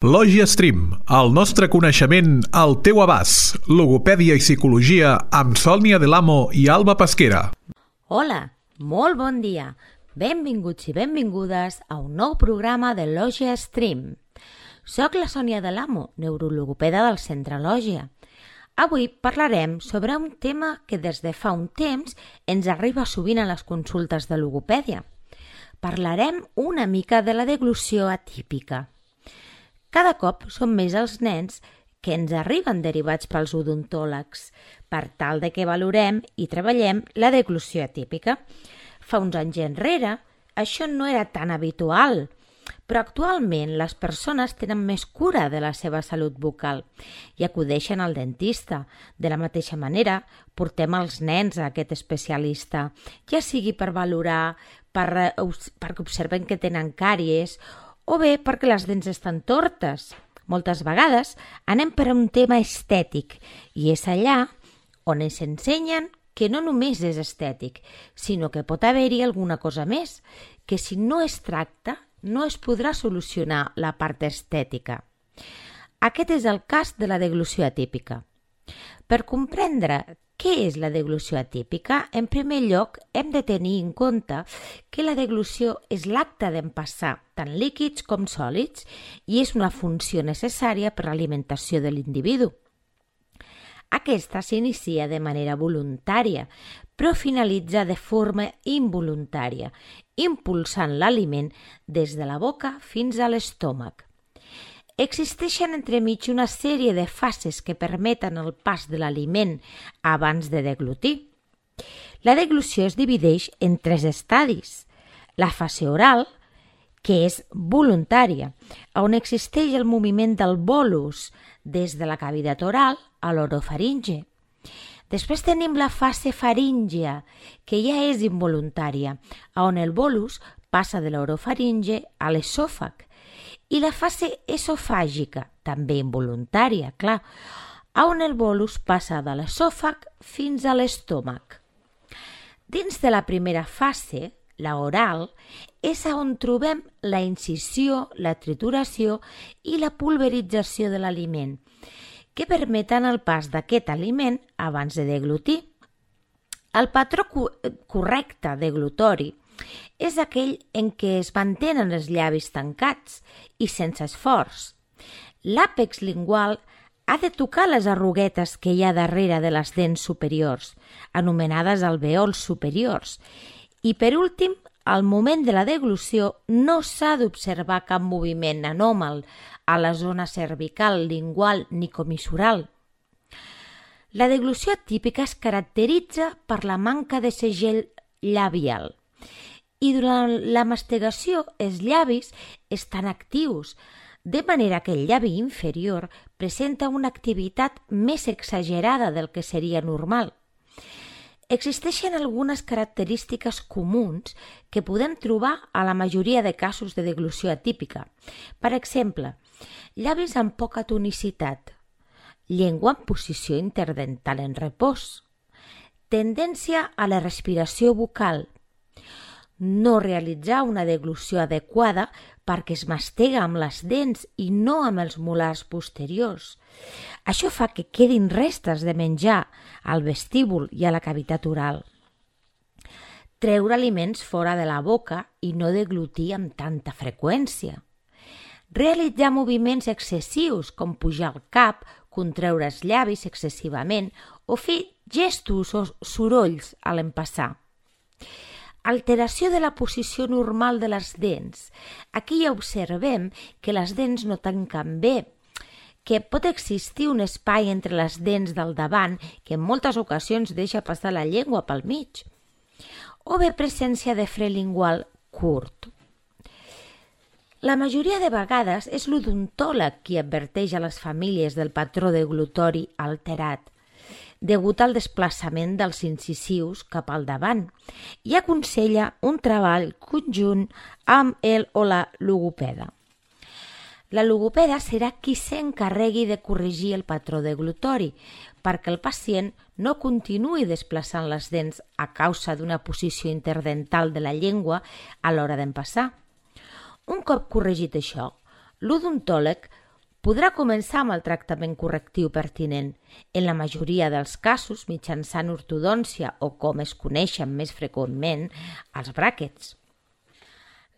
Lògia Stream, el nostre coneixement al teu abast. Logopèdia i psicologia amb Sònia Delamo i Alba Pesquera. Hola, molt bon dia. Benvinguts i benvingudes a un nou programa de Lògia Stream. Soc la Sònia Delamo, neurologopeda del Centre Lògia. Avui parlarem sobre un tema que des de fa un temps ens arriba sovint a les consultes de logopèdia. Parlarem una mica de la deglució atípica. Cada cop són més els nens que ens arriben derivats pels odontòlegs per tal de que valorem i treballem la deglució atípica. Fa uns anys enrere això no era tan habitual, però actualment les persones tenen més cura de la seva salut bucal i acudeixen al dentista. De la mateixa manera, portem els nens a aquest especialista, ja sigui per valorar, perquè observen que tenen càries o bé perquè les dents estan tortes. Moltes vegades anem per un tema estètic i és allà on ens ensenyen que no només és estètic, sinó que pot haver-hi alguna cosa més, que si no es tracta no es podrà solucionar la part estètica. Aquest és el cas de la deglució atípica. Per comprendre què és la deglució atípica, en primer lloc hem de tenir en compte que la deglució és l'acte d'empassar tant líquids com sòlids i és una funció necessària per a l'alimentació de l'individu. Aquesta s'inicia de manera voluntària, però finalitza de forma involuntària, impulsant l'aliment des de la boca fins a l'estómac. Existeixen entremig una sèrie de fases que permeten el pas de l'aliment abans de deglutir. La deglució es divideix en 3 estadis. La fase oral, que és voluntària, on existeix el moviment del bolus des de la cavitat oral a l'orofaringe. Després tenim la fase faríngia, que ja és involuntària, on el bolus passa de l'orofaringe a l'esòfag. I la fase esofàgica, també involuntària, clar, on el bolus passa de l'esòfag fins a l'estómac. Dins de la primera fase, la oral, és on trobem la incisió, la trituració i la pulverització de l'aliment, que permeten el pas d'aquest aliment abans de deglutir. El patró correcte deglutori és aquell en què es mantenen els llavis tancats i sense esforç. L'àpex lingual ha de tocar les arruguetes que hi ha darrere de les dents superiors, anomenades alvèols superiors, i per últim, al moment de la deglució no s'ha d'observar cap moviment anòmal a la zona cervical, lingual ni comissural. La deglució atípica es caracteritza per la manca de segell labial i durant la mastigació els llavis estan actius, de manera que el llavi inferior presenta una activitat més exagerada del que seria normal. Existeixen algunes característiques comuns que podem trobar a la majoria de casos de deglució atípica. Per exemple, llavis amb poca tonicitat, llengua en posició interdental en repòs, tendència a la respiració bucal, no realitzar una deglució adequada perquè es mastega amb les dents i no amb els molars posteriors. Això fa que quedin restes de menjar al vestíbul i a la cavitat oral. Treure aliments fora de la boca i no deglutir amb tanta freqüència. Realitzar moviments excessius com pujar el cap, contreure els llavis excessivament o fer gestos o sorolls a l'empassar. Alteració de la posició normal de les dents. Aquí ja observem que les dents no tanquen bé, que pot existir un espai entre les dents del davant que en moltes ocasions deixa passar la llengua pel mig, o bé presència de fre lingual curt. La majoria de vegades és l'odontòleg qui adverteix a les famílies del patró deglutori alterat, degut al desplaçament dels incisius cap al davant, i aconsella un treball conjunt amb el o la logopeda. La logopeda serà qui s'encarregui de corregir el patró deglutori perquè el pacient no continuï desplaçant les dents a causa d'una posició interdental de la llengua a l'hora d'empassar. Un cop corregit això, l'odontòleg podrà començar amb el tractament correctiu pertinent, en la majoria dels casos mitjançant ortodòncia o, com es coneixen més freqüentment, els bràquets.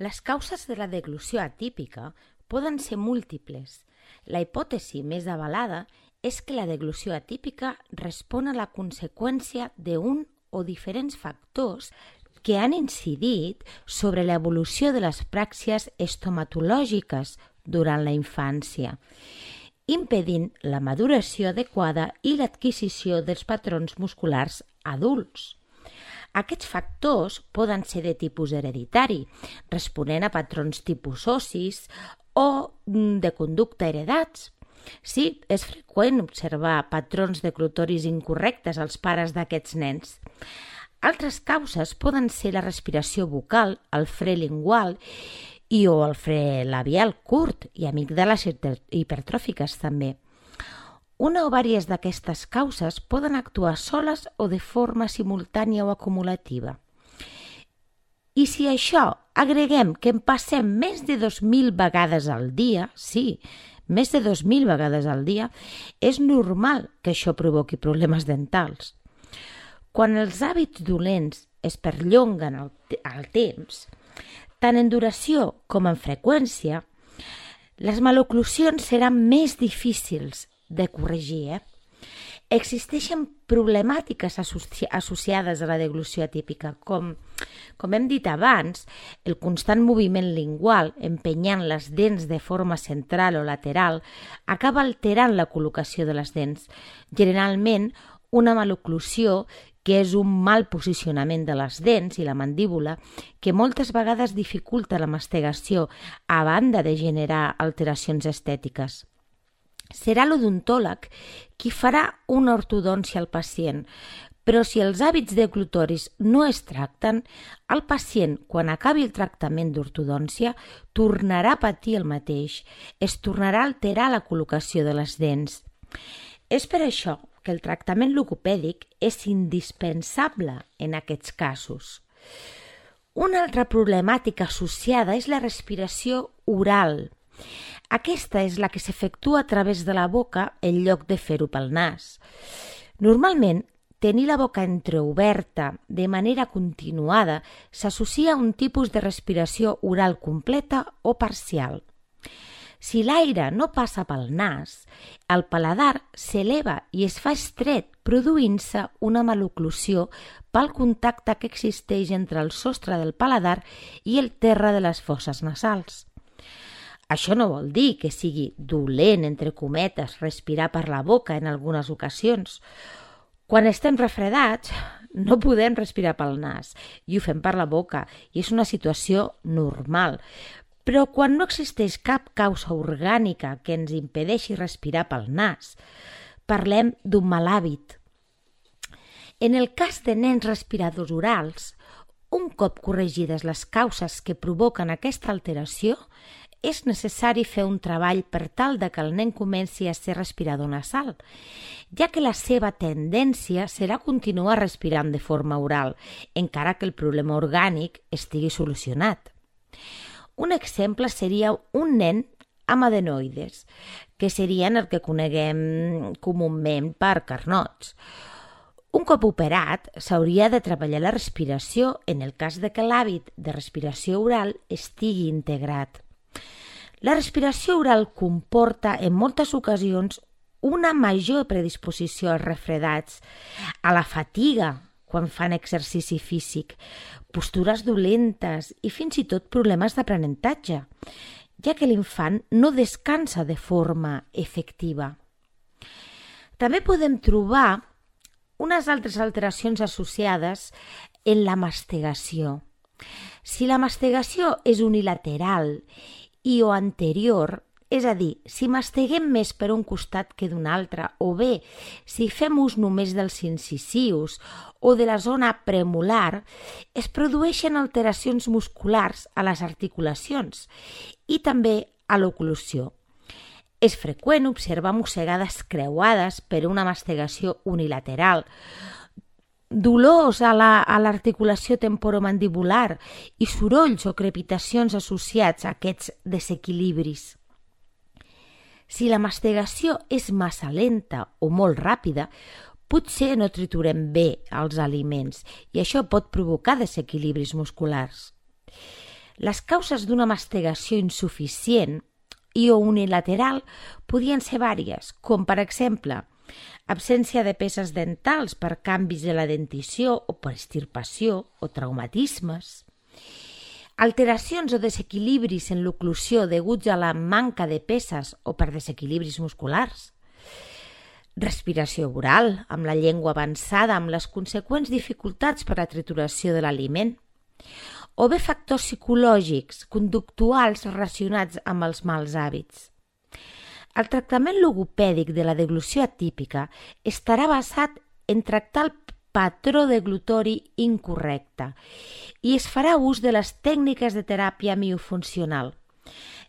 Les causes de la deglució atípica poden ser múltiples. La hipòtesi més avalada és que la deglució atípica respon a la conseqüència d'un o diferents factors que han incidit sobre l'evolució de les pràxies estomatològiques durant la infància, impedint la maduració adequada i l'adquisició dels patrons musculars adults. Aquests factors poden ser de tipus hereditari, responent a patrons tipus ossis o de conducta heredats. Sí, és freqüent observar patrons declutoris incorrectes als pares d'aquests nens. Altres causes poden ser la respiració bucal, el fre lingual o el fre labial curt i amígdales hipertròfiques també. Una o diverses d'aquestes causes poden actuar soles o de forma simultània o acumulativa. I si a això agreguem que en passem més de 2.000 vegades al dia, sí, més de 2.000 vegades al dia, és normal que això provoqui problemes dentals. Quan els hàbits dolents es perllonguen al temps, tant en duració com en freqüència, les maloclusions seran més difícils de corregir. Existeixen problemàtiques associades a la deglució atípica, com hem dit abans, el constant moviment lingual empenyant les dents de forma central o lateral acaba alterant la col·locació de les dents, generalment una maloclusió que és un mal posicionament de les dents i la mandíbula que moltes vegades dificulta la mastegació a banda de generar alteracions estètiques. Serà l'odontòleg qui farà una ortodòncia al pacient, però si els hàbits deglutoris no es tracten, el pacient, quan acabi el tractament d'ortodòncia, tornarà a patir el mateix, es tornarà a alterar la col·locació de les dents. És per això que el tractament logopèdic és indispensable en aquests casos. Una altra problemàtica associada és la respiració oral. Aquesta és la que s'efectua a través de la boca en lloc de fer-ho pel nas. Normalment, tenir la boca entreoberta de manera continuada s'associa a un tipus de respiració oral completa o parcial. Si l'aire no passa pel nas, el paladar s'eleva i es fa estret, produint-se una maloclusió pel contacte que existeix entre el sostre del paladar i el terra de les fosses nasals. Això no vol dir que sigui dolent, entre cometes, respirar per la boca en algunes ocasions. Quan estem refredats, no podem respirar pel nas i ho fem per la boca i és una situació normal. Però quan no existeix cap causa orgànica que ens impedeixi respirar pel nas, parlem d'un mal hàbit. En el cas de nens respiradors orals, un cop corregides les causes que provoquen aquesta alteració, és necessari fer un treball per tal de que el nen comenci a ser respirador nasal, ja que la seva tendència serà continuar respirant de forma oral, encara que el problema orgànic estigui solucionat. Un exemple seria un nen amb adenoides, que serien el que coneguem comúment per carnots. Un cop operat, s'hauria de treballar la respiració en el cas de que l'hàbit de respiració oral estigui integrat. La respiració oral comporta en moltes ocasions una major predisposició als refredats, a la fatiga quan fan exercici físic, postures dolentes i fins i tot problemes d'aprenentatge, ja que l'infant no descansa de forma efectiva. També podem trobar unes altres alteracions associades en la mastegació. Si la mastegació és unilateral i o anterior, és a dir, si masteguem més per un costat que d'un altre, o bé si fem ús només dels incisius o de la zona premolar, es produeixen alteracions musculars a les articulacions i també a l'oclusió. És freqüent observar mossegades creuades per una mastegació unilateral, dolors a l'articulació temporomandibular i sorolls o crepitacions associats a aquests desequilibris. Si la mastegació és massa lenta o molt ràpida, potser no triturem bé els aliments i això pot provocar desequilibris musculars. Les causes d'una mastegació insuficient i o unilateral podien ser vàries, com per exemple absència de peces dentals per canvis de la dentició o per extirpació o traumatismes, alteracions o desequilibris en l'oclusió deguts a la manca de peces o per desequilibris musculars, respiració oral amb la llengua avançada amb les conseqüents dificultats per a la trituració de l'aliment, o bé factors psicològics, conductuals relacionats amb els mals hàbits. El tractament logopèdic de la deglució atípica estarà basat en tractar el patró deglutori incorrecte i es farà ús de les tècniques de teràpia miofuncional.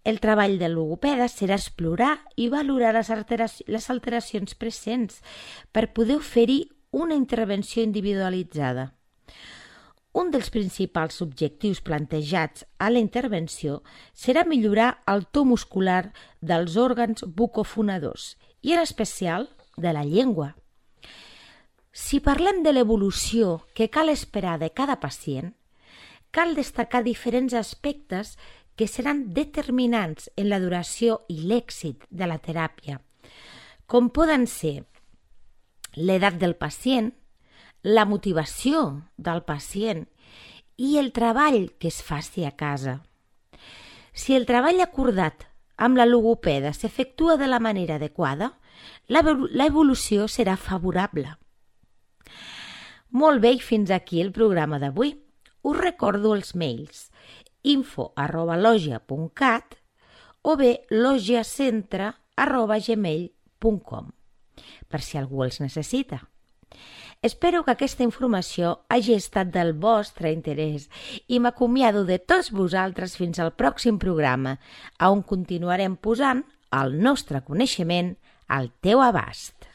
El treball del logopeda serà explorar i valorar les alteracions presents per poder oferir una intervenció individualitzada. Un dels principals objectius plantejats a la intervenció serà millorar el to muscular dels òrgans bucofonadors i en especial de la llengua. Si parlem de l'evolució que cal esperar de cada pacient, cal destacar diferents aspectes que seran determinants en la duració i l'èxit de la teràpia, com poden ser l'edat del pacient, la motivació del pacient i el treball que es faci a casa. Si el treball acordat amb la logopeda s'efectua de la manera adequada, l'evolució serà favorable. Molt bé, i fins aquí el programa d'avui. Us recordo els mails info@logia.cat o bé logiacentre@gmail.com per si algú els necessita. Espero que aquesta informació hagi estat del vostre interès i m'acomiado de tots vosaltres fins al pròxim programa, on continuarem posant el nostre coneixement al teu abast.